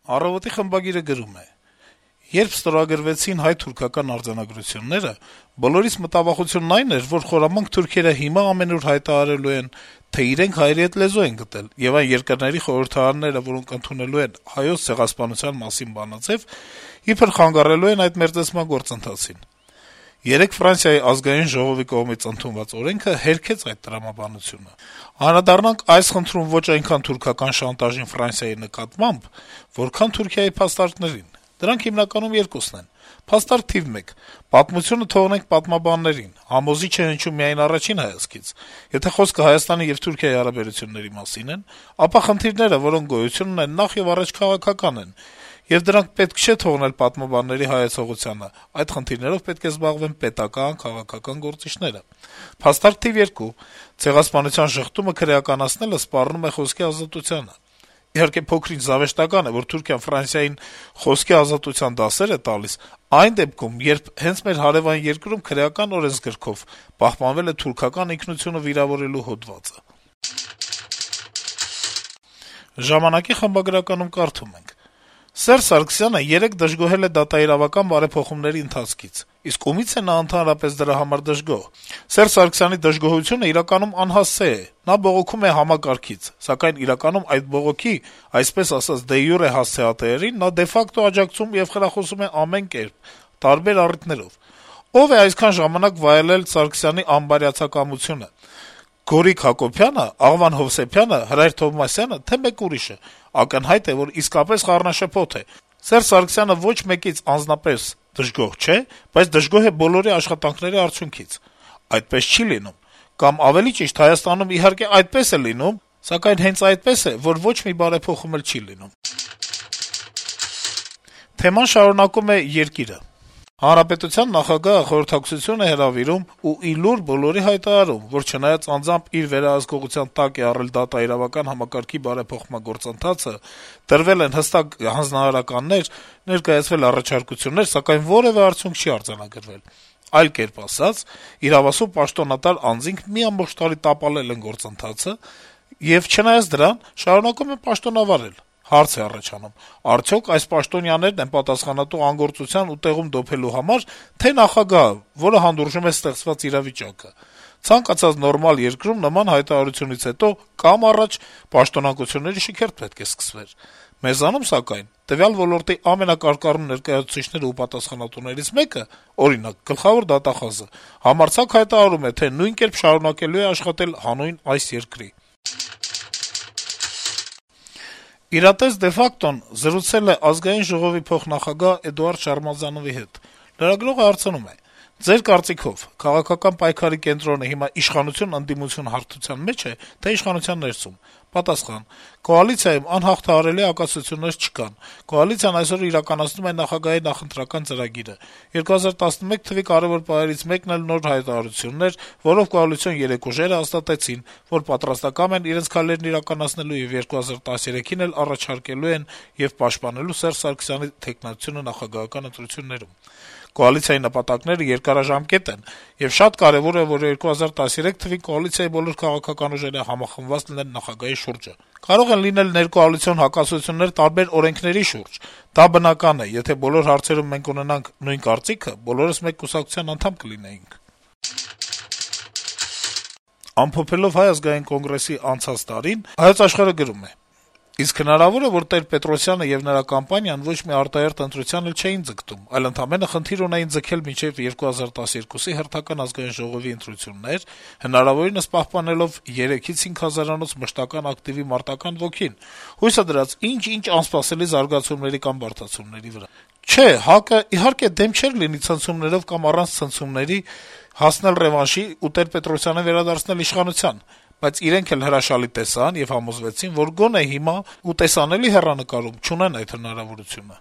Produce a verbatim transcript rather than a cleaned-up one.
«Առավոտ»-ի խմբագիրը գրում է. - «Երբ ստորագրվեցին հայ-թուրքական արձանագրությունները, բոլորիս մտավախությունն այն էր, որ խորամանկ թուրքերը հիմա ամենուր հայտարարելու են, թե իրենք հայերի հետ լեզու են գտել, եւ այն երկրների խորհրդարանները, որոնք ընդունելու են հայոց ցեղասպանության մասին բանաձեւ, իբր խանգարելու են այդ մերձեցման գործընթացին: Երեկ Ֆրանսիայի ազգային ժողովի կողմից ընդունված օրենքը հերքեց այդ տրամաբանությունը: Անդրադառնանք այս խնդրում ոչ այնքան թուրքական շանտաժին Ֆրանսիայի նկատմամբ, որքան Թուրքիայի փաստարկներին: Դրանք հիմնականում երկուսն են: Փաստարկ թիվ մեկ. պատմությունը թողնենք պատմաբաններին: Համոզիչ է հնչում միայն առաջին հայացքից: Եթե խոսքը Հայաստանի եւ Թուրքիայի հարաբերությունների մասին են, ապա խնդիրները, որոնք գոյություն ունեն, նախեւառաջ քաղաքական են, եւ դրանք պետք չէ թողնել պատմաբանների հայեցողությանը: Այդ խնդիրներով պետք է զբաղվեն պետական, քաղաքական գործիչները: Փաստարկ թիվ երկու. ցեղասպանության ժխտումը քրեականացնելը սպառնում է խոսքի ազատությանը: Իհարկե, փոքր-ինչ զավեշտական է, որ Թուրքիան Ֆրանսիային խոսքի ազատության դասեր է տալիս այն դեպքում, երբ հենց մեր հարեւան երկրում քրեական օրենսգրքով պահպանվել է թուրքական ինքնությունը վիրավորելու հոդվածը»: «Ժամանակ»-ի խմբագրականում կարդում ենք. - «Սերժ Սարգսյանը երեկ դժգոհել է դատաիրավական բարեփոխումների ընթացքից: Իսկ ումի՞ց է նա ընդհանրապես դրա համար դժգոհ: Սերժ Սարգսյանի դժգոհությունը իրականում անհասցե է: Նա բողոքում է համակարգից, սակայն իրականում այդ բողոքի, այսպես ասած, դե յուրե հասցեատերերին նա դե ֆակտո աջակցում եւ խրախուսում է ամեն կերպ, տարբեր առիթներով: Ո՞վ է այսքան ժամանակ վայելել Սարգսյանի անբարյացակամությունը: Գորիկ Հակոբյա՞նը, Աղվան Հովսեփյա՞նը, Հրայր Թովմասյա՞նը, թե՞ մեկ ուրիշը: Ակնհայտ է, որ իսկապես խառնաշփոթ է: Սերժ Սարգսյանը ոչ մեկից անձնապես դժգոհ չէ, բայց դժգոհ է բոլորի աշխատանքների արդյունքից: Այդպես չի լինում: Կամ, ավելի ճիշտ, Հայաստանում, իհարկե, այդպես է լինում, սակայն հենց այդպես է, որ ոչ մի բարեփոխում էլ չի լինում»: Թեման շարունակում է «Երկիր»-ը. - «Հանրապետության նախագահը խորհրդակցություն է հրավիրում ու ի լուր բոլորի հայտարարում, որ չնայած անձամբ իր վերահսկողության տակ է առել դատաիրավական համակարգի բարեփոխման գործընթացը, տրվել են հստակ հանձնարարականներ, ներկայացվել առաջարկություններ, սակայն որեւէ արդյունք չի արձանագրվել: Այլ կերպ ասած, իրավասու պաշտոնատար անձինք մի ամբողջ տարի տապալել են գործընթացը եւ, չնայած դրան, շարունակում են պաշտոնավարել: Հարց է առաջանում. արդյոք այս պաշտոնյաներն են պատասխանատու անգործության ու տեղում դոփելու համար, թե՞ նախագահը, որը հանդուրժում է ստեղծված իրավիճակը: Ցանկացած նորմալ երկրում նման հայտարարությունից հետո կամ առաջ պաշտոնանկությունների շքերթ պետք է սկսվեր: Մեզանում, սակայն, տվյալ ոլորտի ամենակարկառուն ներկայացուցիչները ու պատասխանատուներից մեկը, օրինակ, գլխավոր դատախազը, համարձակ հայտարարում է, թե նույն կերպ շարունակելու է աշխատել հանուն այս երկրի»: «Իրատես de facto»-ն զրուցել է Ազգային ժողովի փոխնախագահ Էդուարդ Շարմազանովի հետ: Լրագրողը հարցնում է. - «Ձեր կարծիքով քաղաքական պայքարի կենտրոնը հիմա իշխանություն-ընդդիմություն հարթության մե՞ջ է, թե՞ իշխանության ներսում»: Պատասխան. - «Կոալիցիայում անհաղթահարելի հակասություններ չկան: Կոալիցիան այսօր իրականացնում է նախագահի նախընտրական ծրագիրը: երկու հազար տասնմեկ թվականի կարեւոր պահերից մեկն էլ նոր հայտարարությունն էր, որով կոալիցիոն երեք ուժերը հաստատեցին, որ պատրաստակամ են իրենց քայլերն իրականացնելու եւ երկու հազար տասներեքին էլ առաջարկելու են եւ պաշտպանելու Սերժ Սարգսյանի թեկնածությունը նախագահական ընտրություններում: Կոալիցիայի նպատակները երկարաժամկետ են, եւ շատ կարեւոր է, որ երկու հազար տասներեք թվականին կոալիցիայի բոլոր քաղաքական ուժերը համախմբված լինեն նախագահի շուրջը: Կարող են լինել ներկոալիցիոն հակասություններ տարբեր օրենքների շուրջ: Դա բնական է, եթե բոլոր հարցերում մենք ունենանք նույն կարծիքը, բոլորս մեկ կուսակցության անդամ կլինեինք»: Ամփոփելով Հայ ազգային կոնգրեսի անցած տարին` «Հայոց Աշխարհ»-ը գրում է. - «Իսկ հնարավո՞ր է, որ Տեր-Պետրոսյանը եւ նրա կամպանիան ոչ մի արտահերթ ընտրության էլ չէին ձգտում, այլ ընդամենը խնդիր ունեին ձգել մինչեւ երկու հազար տասներկուսի հերթական Ազգային ժողովի ընտրություններ, հնարավորինս պահպանելով երեքից հինգ հազարանոց մշտական ակտիվի մարտական ոգին, հույսը դրած ինչ-ինչ անսպասելի զարգացումների կամ բարդացումների վրա: Չէ, ՀԱԿ-ը, իհարկե, դեմ չէր լինի ցնցումներով կամ առանց ցնցումների հասնել ռեվանշի ու Տեր-Պետրոսյանին վերադարձնել իշխանության, բայց իրենք էլ հրաշալի տեսան եւ համոզվեցին, որ գոնե հիմա ու տեսանելի հեռանկարում չունեն այդ հնարավորությունը»: